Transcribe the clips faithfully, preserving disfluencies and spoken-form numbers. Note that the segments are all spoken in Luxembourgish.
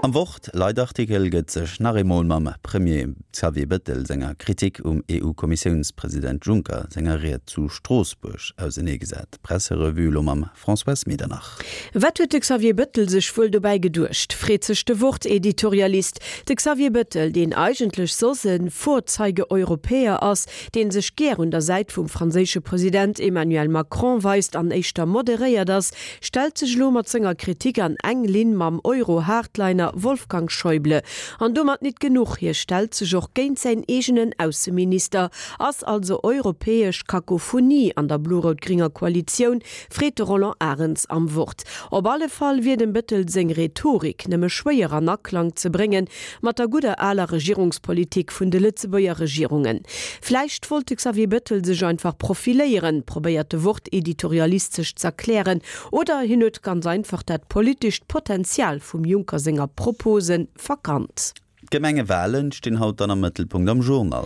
Am Wort Leitartikel gëtt sech nach eemol mam Premier Xavier Bettel senger Kritik um EU-Kommissiounspresident Juncker senger Ried zu Stroossbuerg auserneegesat. Presserevue lo mam Françoise Medernach. Wat huet de Xavier Bettel sech wuel dobäi geduecht, freet sech de Wort-Editorialist. De Xavier Bettel, deen eigentlech soss e Vorzeige-Europäer ass, dee sech gär un der Säit vum franséische President Emmanuel Macron weist an éischter moderéiert ass, stellt sech lo mat senger Kritik an eng Linn mam Euro-Hardliner Wolfgang Schäuble. An domat net genuch, hie stellt sech och géint säin eegenen Ausseminister, ass also europäesch Kakophonie an der blo-rout-gringer Koalitioun, freet de Roland Arens am Wort. Op alle Fall wier dem Bettel seng Rhetorik nëmme schwéier an Aklang ze bréngen mat der gudder aler Regierungspolitik vun de Lëtzebuerger Regierungen. Vläicht wollt de Xavier Bettel sech einfach profiléieren, probéiert de Wort-Editorialist sech z'erklären, oder hien huet ganz einfach dat politescht Potenzial vum Juncker senger Propose verkannt. D'Gemengewalen stinn haut dann am Mëttelpunkt am Journal.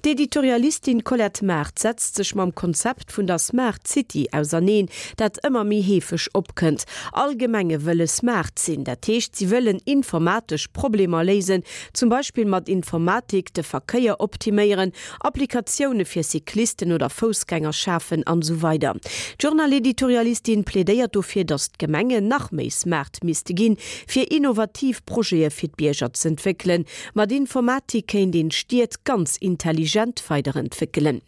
D'Editorialistin Colette Mart setzt sech mam Konzept vun der Smart City auserneen, dat ëmmer méi heefeg opkënnt. All Gemenge wëlle smart sinn, dat heescht, si wëllen informatesch Problemer léisen, zum Beispill mat Informatik de Verkéier optiméieren, Applikatioune fir Cyclisten oder Foussgänger schafen an esou weider. D'Journal-Editorialistin plädéiert dofir, datt d'Gemengen nach méi smart misste ginn, fir innovativ Projete fir d'Bierger z'entwéckelen. Mat Informatik kéint een d'Stied ganz intelligent weiderentwéckelen.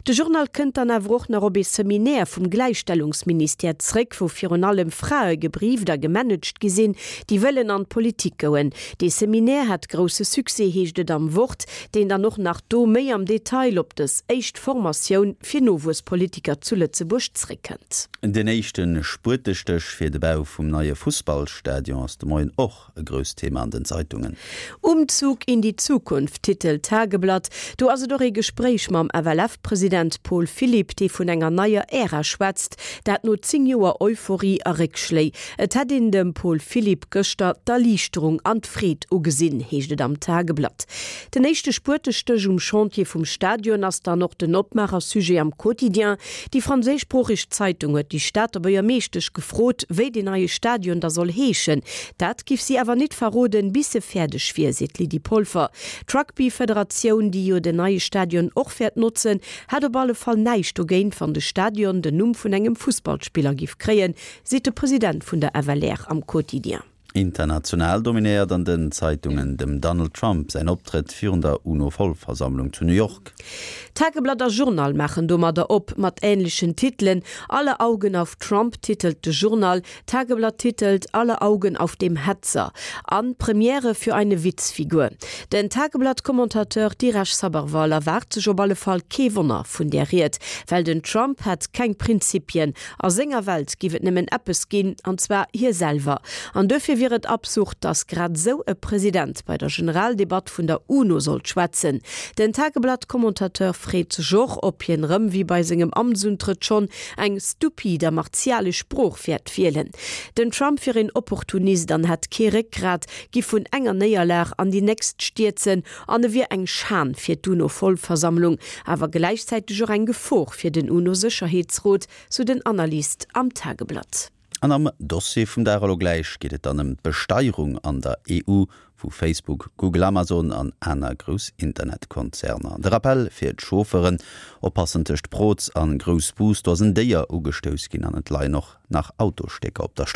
De Journal kënnt dann awer och nach op ee Seminaire vum Gläichstellungsministère zréck, wou virun allem Frae gebrieft a gemanagt gi sinn, déi wëllen an d'Politik goen. Dee Seminaire hat grousse Succès, heescht et am Wort, deen dann och nach do méi am Detail op dës éischt Formatioun fir Nowuesspolitiker zu Lëtzebuerg zréckkënnt. Den éischte Spuetestéch fir de Bau vum neie Fussballstadion ass de Moien och e grousst Thema an den Zeitungen. Umzug in die Zukunft, titelt d'Tageblatt. Do ass et och ee Gespréich mam F L F-President Paul Philipp, dee vun enger neier Ära schwätzt, dat no zéng Joer Euphorie a Réckschléi. Et hätt een dem Paul Philipp gëschter d'Erliichterung an d'Freed ugesinn, heescht et am Tageblatt. Den éischte Spuetestéch um Chantier vum Stadion ass dann och den Opmaacher-Sujet am Quotidien. Déi franséischsproocheg Zeitung huet déi Stater Buergermeeschtesch gefrot, wéi deen neie Stadion da soll heeschen. Dat giff si awer net verroden, bis e fäerdeg wier, seet d'Lydie Polfer. D'Rugby-Federatioun, déi jo den neie Stadion och wäert notzen, hätt op alle Fall näischt dogéint, wann de Stadion den Numm vun engem Fussballspiller giff kréien, seet de President vun der F L R am Quotidien. International dominéiert an den Zeitungen dem Donald Trump säin Optrëtt virun der UNO-Vollversammlung zu New York. Tageblatt a Journal maachen domadder op mat änlechen Titelen. Alle Augen auf Trump titelt de Journal, Tageblatt titelt Alle Augen auf dem Hetzer an Premiere für eine Witzfigur. Den Tageblatt-Commentateur Diresh Sabharwal erwaart sech op alle Fall kee Wonner vun där Ried, well den Trump hätt keng Prinzipien. A senger Welt giff et nëmmen eppes ginn, an zwar hie selwer. An dofir wier et absurd, dass grad sou e President bei der Generaldebatt vun der UNO sollt schwätzen. Den Tageblatt-Commentateur freet sech och, ob hien rëm wéi bei sengem Amtsuntrëtt schonn eng stupid a martialesch Sprooch wäert wielen. Den Trump wier een Opportunist an hätt kee Réckgrat, giff vun enger Néierlag an déi nächst stierzen an e wier eng Schan fir d'UNO-Vollversammlung, awer gläichzäiteg och eng Gefor fir den UNO-Sécherheetsrot, sou den Analyst am Tageblatt. An am Dossier vum Dag elo gläich geet et dann ëm d'Besteierung an der E U vu Facebook, Google, Amazon an aner grouss Internetkonzerner. De Rappell fir d'Chauffeuren, oppassen tëscht Proz an Groussbus, do ass en Déier ugestouss ginn an et leien och nach Autostécker op der